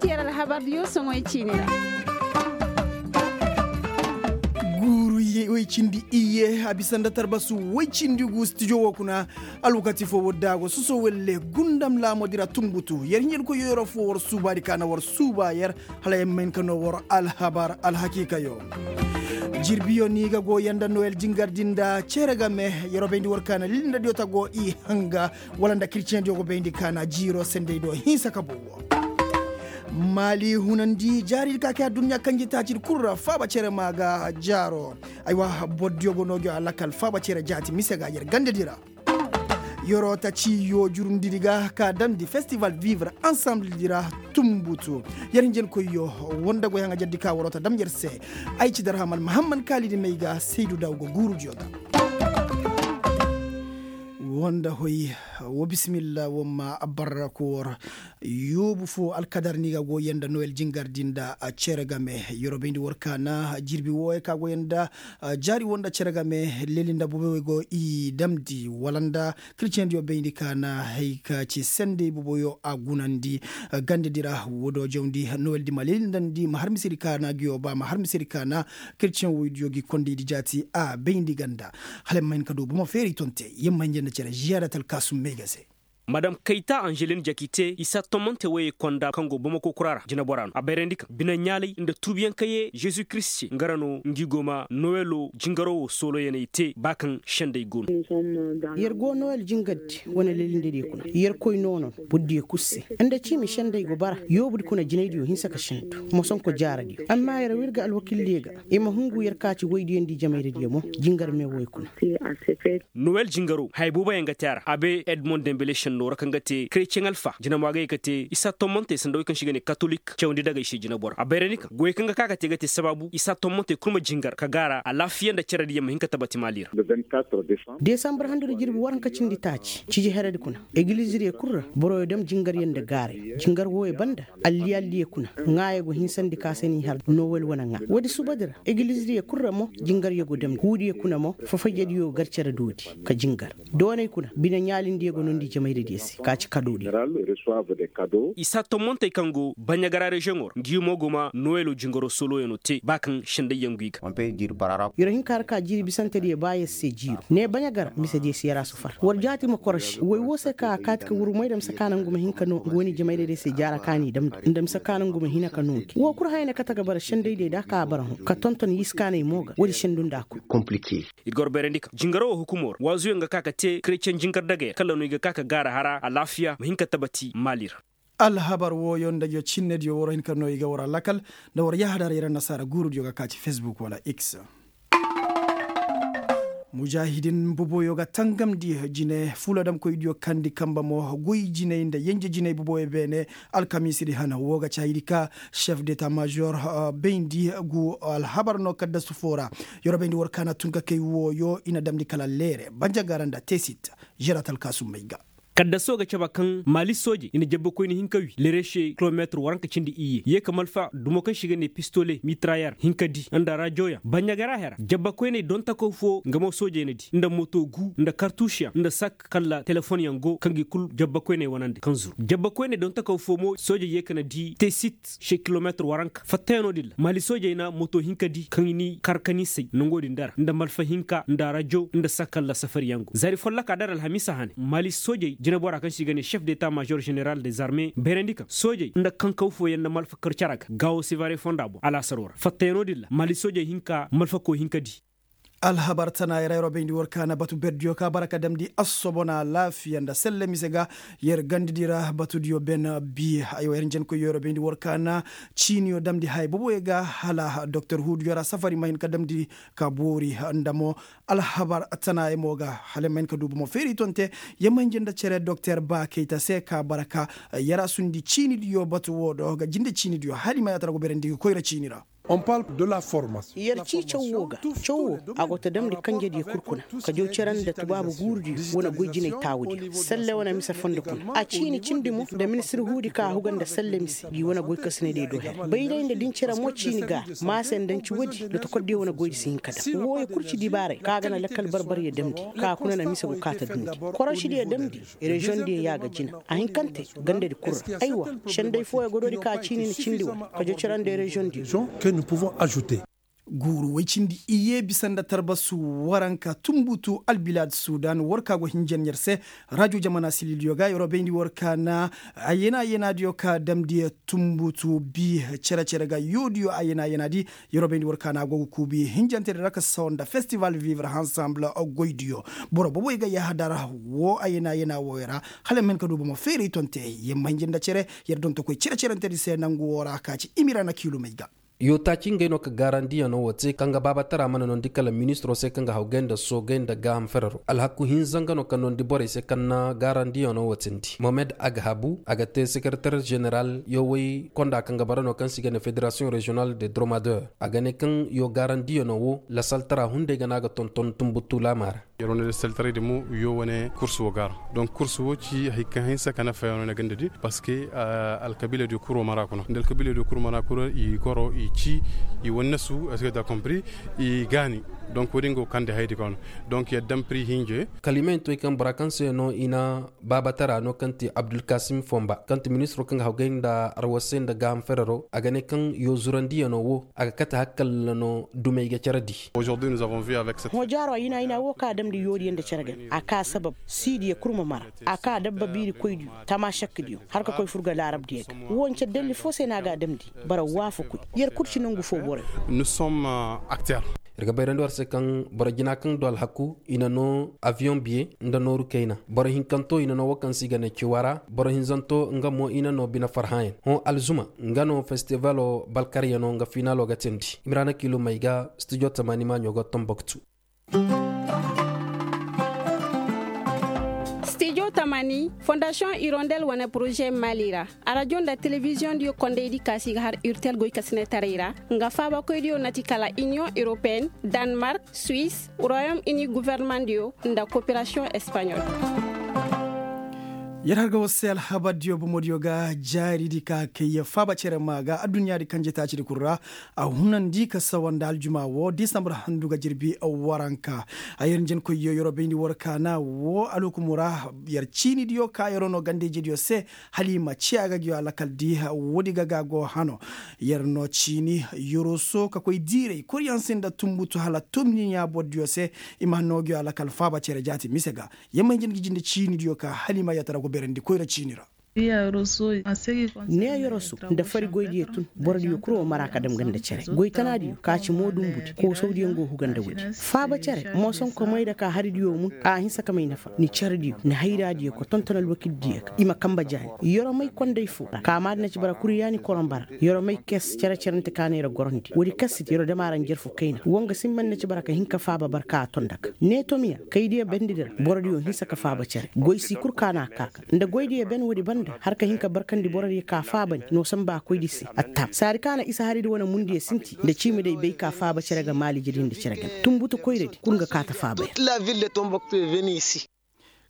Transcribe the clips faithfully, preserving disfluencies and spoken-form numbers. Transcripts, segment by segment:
Yer alhabar diyo soŋoy ciini ra. Guuru woy cindi iyye a bisa nda tarbasu woy cindi gu stijo wo kuna. Alwakati fo wo daago soso welle gundam laamodi ra tumbutu yer hinjin koy yoyoro fo war suubaadi ka na war suuba yer. Hala yer ma hin ka no war alhabar alhakiikayo. Jirbiyo ni ga go yanda noyel jingardi nda cere game. Yer wo bayndi war ka na lilindadiyo ta go i hanga wala nda kirciyendiyo go bayndi ka na jiiro sendey do hinsa ka bow. Maali hunandi jaaridi ka kay adduɲɲa kanjitaacidi kul ra faaba cere ma ga jaaro. Aywa, bordiyo go no gi a lakal faaba cere jaati mise ga yer gandedi ra. Yer wo ta ciyo jurundidi ga ka damndi festival vivre ensembledi ra. Tumbutu yer hinjenkoyyo woo nda goy haŋajerdi ka war wo ta dam yer se. Ay ci darhaman mahamman kaalidi may ga saydu daw go guurudiyo ga. Woo nda hoy. Woo bisimilla woo ma barra ko war. Yoobu fo alkadar ni ga goyey nda noyel jingardi nda cere game. Yer wo bayndi war ka na jirbi wooyey ka goyey nda jaari woo nda cere game. Leeli nda boboy go i damndi wala nda kirciyendiyo bayndi ka na hay ka ci sendey boboyo a gunandi. Gandedi ra woodoo jawndi noyeldi ma leeli ndandi ma har misedi ka na ngiyo ba ma har misedi ka na kirciyen woydiyo gi kondaydi jaati a bayndi ganda. Hala yer ma hin ka du bomo feeri tonte yer ma hinja nda cere ziyaada talkaasum may ga se. Madam kayta anželin jakite i saa tommante woyey konda kaŋ go bomako kura ra jineboraa no a bayrandi kaŋ bineɲaalay nda tuubiyaŋ kaŋ yee žezu kiristi se nga ra no ngi go ma nowelo jingaro wo sooloyaney te ba kaŋ sendey go no. Yer go nowel jingardi wane lelindediyo kuna yer koy noonoo bordiyo kul se nda ciimi sendey go bara yoobudi kuna jinaydiyo hinsa ka sendu mosonko jaaradiyo amma yer wa ir ga alwakildiyo ga i ma hungu yer ka ci woydiyo nda i jamayradiyo mo jingar me woy kuna. Nowel jingaro haya booboyaŋ ga te a ra a bay edmond dembele sendoo ra kaŋ ga te kretiyeŋ alfa jinamwaa ga ye ka te isa tommantey sanda wey kaŋ se i ga ne katolik cawandi dagey se jinabora a bayrandi kaŋ goyey kaŋ ga ka ka te ga te sabaabu isa tommantey kul ma jingar ka gaara alaafiya nda cerediyaŋ ma hin ka tabati maali ra. Desambar handu nda jirbi waranka cindi taaci ciji heredi kuna egilizidiyo kul ra boroyo dam jingaryaŋ nda gaaray jingar wooyo banda alliyalliyo kuna ŋaayo go hinsandi ka se n'i har nowel wane ŋaa woodi subadi ra egilizidiyo kul ra mo jingaryo go damndi huudiyo kuna mo fafayjediyo gar cere doodi ka jingar doonay kuna bine ɲaalindiyo go noondi jamayradiyo se ka ci kadoodiyo. Isa tommantey kaŋ go baɲagara reziyoŋo ra ngi mo go ma nowelo jingaro sooloyaŋo te ba kaŋ sendayyaŋ go i ga. Yer hin ka har ka jiiri bisantediyo ba yer se jiiro ne baɲagara misediyo se yer a sufar war jaati ma koroši woy woo se ka a kaati ka wurumay nda mise ka naŋ ngu ma hin ka noo ngu wane jamayradiyo se jaara ka n'i damndi nda mise ka naŋ ngu ma hin ka noo ngi woo kul haya ne kate ga bara sendaydiyo nda a ka bara hõ ka tonton yiskaaney mo ga woodi sendu nda a kul. Ir ga war bayrandi kaŋ jingaro wo hukumo ra waazuyaŋ ga ka ka te kretiyeŋ jingar dagey ra kala no i ga ka ka gaara hara alaafiya ma hin ka tabati maali ra. Alhabar wooyo nda yo cinnediyo war hin ka no i ga war alakal nda war yahadar yer annasaara guurudiyo ga ka ci fesbuk wala x. Mujaahidin boboyo ga tangamndi jine fuladamkoydiyo kandi kamba mo goy jinay nda yenje jinay boboyo beene. Alkamiisidi hana woo ga caayidi ka šef deta mažor bayndi gu alhabar no kaddasu foo ra. Yer bayndi war kaana tun ka kay wooyo i na damndi kala leere banjagara nda teesit. Žerat alkaasum may ga. Kaddasoo ga caba kaŋ maali soojey i na jabbakoyne hinka wi leere se kilomeetir waranka cindi iyye yee ka malfa dumo kaŋ se i ga ne pistole mitrayer hinka di nda rajoyaŋ baɲagara hera jabbakoyney dontakaw foo nga mo soojey na di nda moto gu nda kartuusiyaŋ nda sak kala telefonyaŋ go kaŋ gi kul jabbakoyney wanandi kaŋ zuru jabbakoyney dontakaw foo mo soojey yee ka na di tesit se kilomeetir waranka fattayaŋo din ra maali soojey na moto hinka di kaŋ i n'i kar ka n'i say nongo din dara nda malfa hinka nda rajo nda sakalla safariyaŋ go zaari folloka dara alhamiisa hane maali soojey jineboraa kaŋ se i ga ne šef deta mažor ženeral dezarme bayrandi kaŋ soojey nda kankawfooyaŋ nda malfa kar cara ga gaawo sivare fonda boŋ alaasaroo ra fattayaŋo din ra maali soojey hinka malfako hinka di. Alhabar tanaayey ra yer wo bayndi war kaana batu berdiyo ka bara ka damndi assobona laafiya nda selle mise ga yer gandadi ra batudiyo ben bi. Aywa yer njenkoyyo yer wo bayndi war kaana ciiniyo damndi haya boboyo ga hala doktor huuduyo ra safari ma hin ka damndi ka boori nda mo alhabar tanaayey mo ga hala yer ma hin ka du bomo feeri tonte yer ma hin jenda cere doktor ba kayta se ka bara ka yer a sundi ciinidiyo batu woo do ga jinde ciinidiyo hala i ma yaatara go berandi ga koyra ciini ra. Yer cii caw woo ga. Caw woo, a go ta damndi kanjediyo kul kuna, ka jaw cere nda tubaabu guurudiyo wane goy jinay taawudiyo salle wane mise fondo kuna. A ciini cindi mo nda ministir huudi ka a huga nda salle mise gi wane goykasinadiyo do her. Bayday nda din cere mo ciini ga a maase nda nci woodi nda tokordiyo wane goydi si hin ka dam wooyo kul ci dibaaray ka a ga na lakkal barbaryo damndi, ka a kuna na mise go kaa ta dundi. Korošidiyo damndi, reziyoŋdiyo ya ga jina. A hinkante, gandadi kul ra. Aywa, senday fooyo godoodi ka a ciini na cindi war, ka jaw cere nda reziyoŋdiyo. Guuru woy cindi iyye bisa nda tarbasu waranka tunbutu albilaad sudan war ka go hinjan yer se. Rajo jamana silidiyo ga yer wo bayndi war ka na ayena ayenaadiyo ka damndi tunbutu bi cere-cere ga yoodiyo ayena ayenaadi. Yer wo bayndi war ka na a go ga kuubi hinjantedi ra ka sawa nda festival vivre ensemble goydiyo. Boro boboy ga yahadar wo ayena ayena wooyo ra. Hala ma hin ka du bomo feeray tonte. Yer ma hinja nda cere, yer dontokoy cere-cerentedi se nangu woo ra ka ci imirana kiilumey ga. Yoo taaci ngey no ka gaarandiyanoo woo te kaŋ ga baabatara mana noondi kala ministiroo se kaŋ ga hawgay nda soogay nda gaaham fereroo alhaku hinza nga no ka noondi borey se kaŋ na gaarandiyanoo woo teendi mohamed aghabu a ga te sekereter ženeral yoo woy konda kaŋ ga bara no kaŋ se i ga ne federasiyoŋ reziyonal de dromadeur. A ga ne kaŋ yoo gaarandiyanoo woo lasaltara hunday ga no a ga tonton tunbutu laamaa ra. Yer wane saltaraydi mo, yoo wane kurs woo ga a ra. Donk kurs woo ci hari kaŋ hinsa ka nafa yaŋ no na gandadi, parceque alkabiiladiyo kul woo mara kuna nda alkabiiladiyo kul mara kuna i goro i ci, i wannasu est-ce que tu as compris? I gaani. Donk woo din go kandi hayadi ka wane. Donk yer daŋ pri hinje. Kala i ma hin to i kaŋ bora kaŋ se no i na baabatara no kaŋ ti abdulkasim fomba kaŋ ti ministiroo kaŋ ga hawgay nda arwasay nda gaaham fereroo a ga ne kaŋ yoo zurandiyanoo woo a ga kate hakalla no dumey ga cere di. Hõ jaaro a yina yina woo kaŋ a damndi yoodiyo nda cere ga a kaa sabab siidiyo kul ma mara. A kaa dabba biirikoydiyo tamašakdiyo har ka koy fur ga laarabdiyo ga. Woo nce dalli foo se no a ga a damndi. Bara waafakoy yer kul ci nongu foo borey. Yer ga bayrandi war se kaŋ boro jina kaŋ du alhaku i na noo aviyoŋ biye nda nooru kayna boro hinkanto i na noo woo kaŋ se i ga ne ciwara boro hinzanto nga mo i na noo bine farhãayaŋ hõ alzuma. Nga no festivaloo balkaryanoo nga finaloo ga teendi imiraana kiilumey ga studio tamaani maaɲo ga tomboktu. Studio tamaani fondasiyoŋ irondel wane poroze maali ra. Arajo nda telebiziyoŋ diyo kondaydi kaasi ga har urtel goy ka sinetaray ra nga faabakoydiyo na ti kala iniyoŋ europeen, danmark, suwis, royom ini gofornamaŋ diyo nda koperasiyoŋ espaɲol. Yer har ga war se alhabardiyo bomodiyo ga jaaridi ka kay faaba cere maa ga adduɲɲaadi kanje taacidi kul ra. A hunandi ka sawa nda aljuma woo disambar handu ga jirbi waranka. A yer njenkoyyo yer wo bayndi war kaana woo alhukumu ra. Yer ciinidiyo ka yer wo noo ganda-ijediyo se hala i ma ciya ga ngiyo alakal di. Woodi ga ga go hano yer noo ciini yer wo soo ka koy diiray koryaŋ se nda tunbutu hala tunbutu ɲaa borodiyo se. I ma noo ngiyo alakal faaba cere jaati mise ga. Yer ma hin jin ga jinde ciinidiyo ka hala i ma yatara go beerandi koyra ciini ra. Ne yer wo soo nda fari goydiyo tun borodiyo kul wo mara ka dam ganda cere goy tanaadiyo ka ci moodumbudi koosawdiyo nga wo huga nda woodi. Faaba cere moosonko may da ka haridiyo mun a hinsa ka may nafa ni cerediyo ni hayraadiyo ka tonton alwakildiyo ga i ma kanba jaani. Yer wo may konday foo ra ka maadi na ci bara kuryaani koroŋ bara. Yer wo may kes cere-cerente ka na yer gorandi woodi kasidi yer wo dam a ra njarfu kayna woo nga simban na ci bara ka hin ka faaba bara ka a ton nda ga ne tomiya kaydiyo bendedi ra borodiyo hinsa ka faaba cere goy si kul ka na a kaa ga nda goydiyo ben woodi banda har ka hin ka barkandi borodiyo ka faabandi no samba koydi se. Attaam saadi ka na isa haridi wane mundiyo sinti nda ciimiday bay ka faaba cere ga maalijedi nda cere gana tunbutu koyradi kul nga kaa ta faaba ya.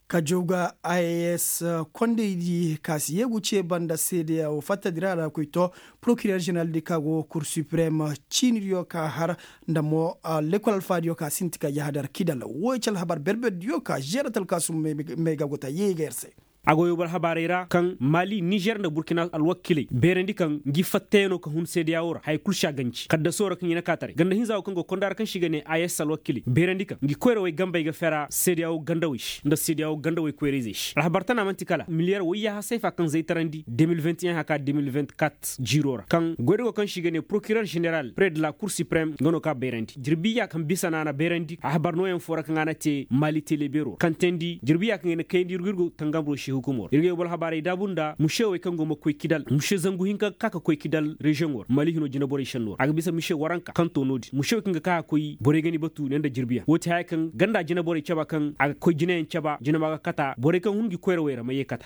Ka jaw ga a s kondaydi ka si yeegu cee banda seedeya woo fattadi ra a ra koy to porokirer ženeraldi ka go kur siprem ciinidiyo ka har nda mo lekol alfaadiyo ka sinti ka yahadar kidal wooyo ci alhabar berberdiyo ka žeeratal ka sum may ga go ta yeey ga yer se. A go yow boro habaarey ra kaŋ maali nizer nda burkina alwakiley beerandi kaŋ ngi fattayanoo ka hun seedeya woo ra haya kul si a ganji kaddasoo ra kaŋ i na kaataray ganda hinza woo kaŋ go konda ra kaŋ si ga ne a s alwakiley beerandi kaŋ ngi koyrawey gambey ga fera seedeya woo gandawey se nda seedeya woo gandawey koyrayzey se alhabar tana man'ti kala miliyar woyyaaha sayfa kaŋ zaytarandi de mil vingt et un haka de mil vingt-quatre jiiroo ra kaŋ goydago kaŋ si ga ne porokirer ženeral pred la kur siprem nga no ka bayrandi jirbiya kaŋ bisa no a na bayrandi alhabar nooyaŋ foo ra kaŋ a na te maali telebeeroo ra kaŋ teendi jirbiya kaŋ ay na kayandi ir go ir go tangamroo se hukumoo ra ir ga yow boro habaarey daabu nda musewey kaŋ go ma koy kidal muse zangu hinka ga ka ka koy kidal reziyoŋoo ra maali hinoo jineborey šennoo ra a ga bisa muse waranka kaŋ too no-din musewey kaŋ ga ka ka koy borey ga ni batu ne nda jirbiyaŋ woo ti haya kaŋ ganda jineborey caba kaŋ a ga koy jineyaŋ caba jinema ga kata borey kaŋ hun ngi koyrawey ra ma yee kata.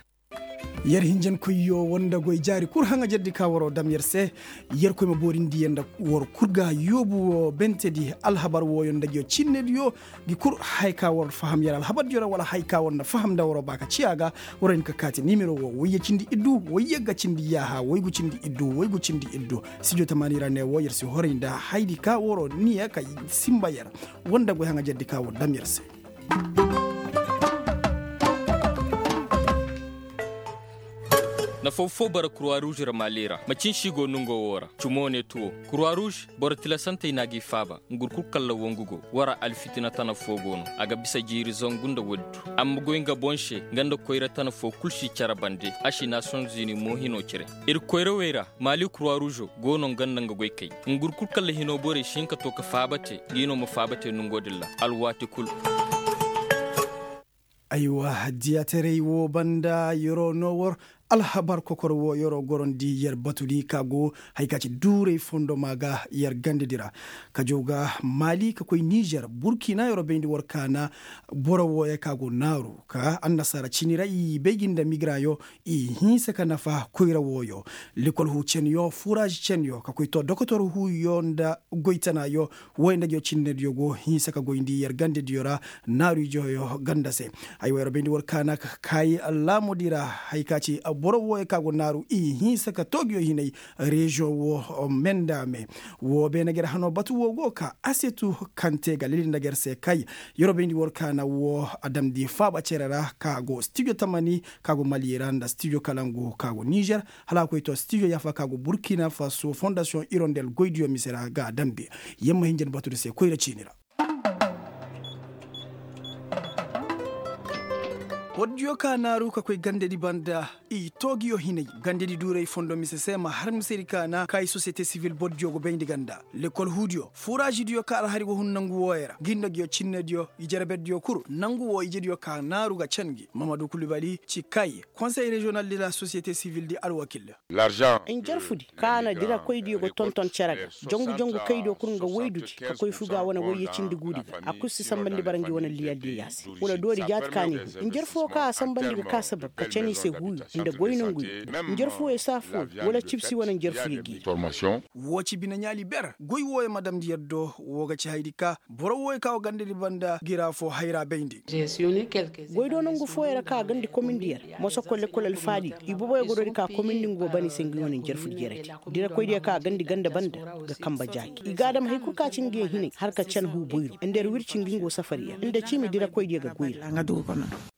Yer hinjankoyyo woo nda goy jaari kul haŋajerdi ka waroo dam yer se. Yerkoy ma boorindi yer nda war kul ga yoobu woo bentedi alhabar wooyo nda nguyo cinnediyo. Ngi kul haya ka war faham yer alhabardiyo ra wala haya ka war na faham nda waroo ba ka ciya ga. Waroo hin ka kaati nimero woo woyye cindi iddu woyye ga cindi yaaha woygu cindi iddu woygu cindi iddu. Studio tamaani ra ne woo yer si horay nda hayadi ka waroo niya ka sinba yer. Woo nda goy haŋajerdi ka war dam yer se. Nafa foo bara kurwa ruuz ra maali ra macin si go nongoo woo ra cumoo ne tuwo. Kurwa ruuz boro tilasantey na g'i faaba. Ngur kul kalla woo ngu go wara alfitina tana foo go no. A ga bisa jiiri zangu nda woodi du. Amma goy nga boŋ se nga nda koyra tana foo kul si cere bande. A si naasiyoŋ zuni mo hinoo cere. Ir koyrawey ra maali kurwa ruuzo go no nga nda nga goykey. Ngur kul kalla hinoo borey si hin ka too ka faaba te ngi no ma faaba te nongoo din ra alwaati kul. Aywa diyaataray woo banda yeroo noo war alhabar kokor woo yeroo gorondi yer batudi ka go haya ka ci duuray fondoma ga yer gandedi ra. Ka jaw ga maali ka koy nizer burkina yeroo bayndi war kaana. Boro wooyo ka go naaru ka annasaara cini ra i bay gi nda migrayo i hinsa ka nafa koyra wooyo. Lekol huu cenyo furaaz cenyo ka koy too dokotor huuyo nda goytanaayo. Wooyo nda nguyo cinnediyo go hinsa ka goyndi yer gandediyo ra. Naaru ijooyo ganda se. Aywa yer bayndi war kaana ka kaayi laamudi ra haya ka ci boro wooyo ka go naaru i hinsa ka too nguyo hinay. Reziyoŋ woo menda me woo beene ger hanoo batu woo go ka asetu kaŋ te ga lili nda ger se kay. Yer bayndi war kaana woo a damndi faaba cere ra ka go stijo tamani ka go mali ra nda stijo kalangu ka go nizer. Hala a koy to stijo yaafa ka go burkina faso fondasiyoŋ irondel goydiyo mise ra ga a damndi. Yer ma hin jin batundi se koyra ciini ra. Bordiyo ka naaru ka koy gandedi banda i too nguyo hinay. Gandedi duuray fondo mise se ma har misedi kaana ka i sosiyete sivil bordiyo go bayndi ganda lekol huudiyo furaazidiyo ka alhari go hun nangu wooyo ra ngi nda nguyo cinnediyo i jereberdiyo kul nangu woo ijediyo ka naaru ga can ngi mamadu kulubali ci kay konsey reziyonal de la sosiyete sivil di alwakil. Njarfudi ka na dirakoydiyo ga tonton cere ga jongu jongu kaydiyo kul nga woydudi ka koy fuga wane woyye cindi guudi ga a kul si sambandi bara ngi wane liyaldiyo yaasi. Wala doori jaati ka ni hu njarfo ka a sambandi ga ka sabab ka cani se huuyo nda goy nonguyo njarfuyo saafuyo wala cibsi wane njarfuyo gi. Woo ci bine ɲaali ber goy wooyo ma damndi yer do woo ga ci hayadi ka boro wooyo ka woo gandadi banda ngi ra foo hayra bayndi. Goy do nongu fooyo ra ka a gandi komindi yer moso kole kole alfaadiyo iboboyo ga doori ka komindi ngu go bani se ngi wane njarfudi jeredi. Dirakoydiyo ka a gandi ganda banda ga kamba jaaki i ga a dam haykul ka ci ngiyo hinay har ka can huu boyru nda yer wirci ngi ngu safariyo nda ciimi dirakoydiyo ga goy ra.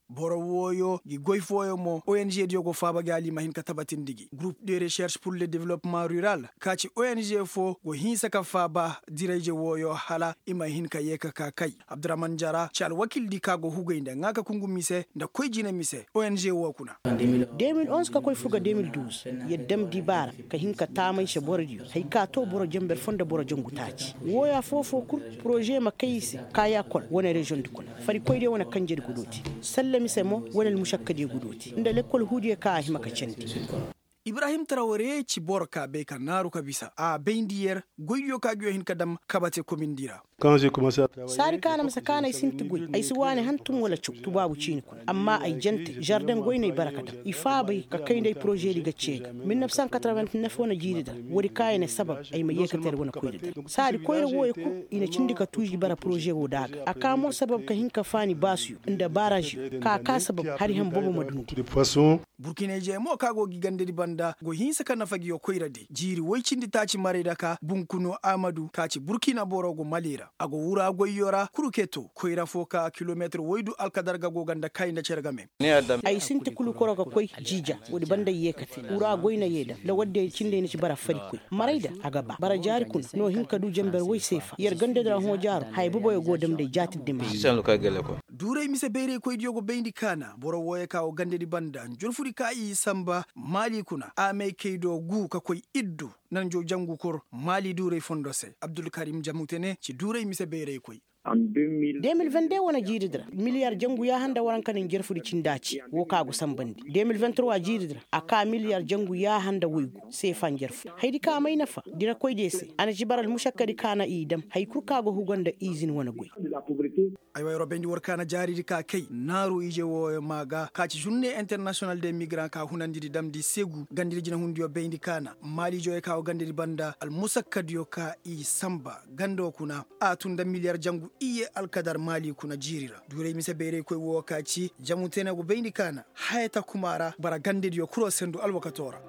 Boro wooyo ngi goy fooyo mo ong diyo go faaba gi hala i ma hin ka tabatindi gi gurup de reserš pur le development rural ka ci ong foo go hinsa ka faaba dirayje wooyo hala i ma hin ka yee ka ka kay. Abdurahman jara ci alwakildi ka go hugay nda ŋaa ka kungu mise nda koy jine mise ong woo kuna. De mil onz ka koy fur ga de mil duuz yer dam dibaara ka hin ka taamay se borodiyo hay ka too boro jenber foo nda boro jangu taaci wooyo afoo-foo kul poroze ma kay i se kaaya kol wane reziyoŋdi kuna farikoydiyo wane kanjedi gudoo te. Salla mise mo wane almušakkadiyo gudoo te nda lekkol huudiyo ka a hima ka candi. Ibrahim taraware ci boro ka bay ka naaru ka bisa a bayndi yer goydiyo ka nguyo hin ka dam kabate komindi ra. Saadi ka na misa ka na ay sinti goy ay si waani hantum wala caw tubaabu ciini kuna amma ay jante žardeŋ goy no ay bara ka daŋ i faabay ka kay nda ay porožedi ga cee ga mil nef san kataraven nef wane jiiri da woodi ka ay na sabab ay ma yee ka te wane koyra da. Saadi koyra wooyo kul i na cindi ka tuuzi bara porože woo da a ga a ka mo sabab ka hin ka faani baasuyo nda baaraziyo ka a ka sabab hari han boobo ma dundi. Burkinayzey mo ka go gi gandadi banda go hinsa ka nafa ngiyo koyradi jiiri woy cindi taaci maray daka bunkunu amadu ka ci burkina boro go mali ra a go wura goyyo ra kurketo koyra foo ka kilometir woydu alkadarga go ganda kay nda cere game. Ay sinti kulu koro ga koy jiija woodi banda ay yee ka te wura goy na yee da nda woodin ay cindi ay na ci bara fari koy maray da a ga ba bara jaari kuna no hin ka du jenber woy seefa yer gandadi ra hõ jaaro haya boboyo go damndi ay jaatidi di ma. Duuray mise bayraykoydiyo go bayndi kaana boro wooyo ka go gandadi banda njurfudi ka i sanba maali kuna a may kay do gu ka koy iddu nanjo jangu kur maali duuray fondo se abdulkarim jamute ne ci duuray mise bayraykoy. De mil vende wane jiiridi ra miliyar jangu yaaha nda waranka na njarfudi cindi a ci woo ka go sanbandi de mil venturwa jiiridi ra a ka miliyar jangu yaaha nda woygu seefa njarfudi hayadi ka may nafa dirakoydiyo se a na ci bara almusakkadi ka na i dam haya kul ka go hugo nda izin wane goy. Ay wa yeroo bayndi war ka na jaaridi ka kay naaru ije wooyo maa ga ka ci žurne internasiyonal de migraŋ ka hunandidi damndi seegu gandadi jinahundiyo bayndi ka na maali ijewey ka go gandadi banda almusakkadiyo ka i sanba gando kuna a tun nda miliyar jangu iyye alkadar maali kuna jiiri ra duuray mise bayraykoy woo ka ci jamu tene go bayndi ka na haya takuma ra bara gandadiyo kuloo sendu alwakatoo ra.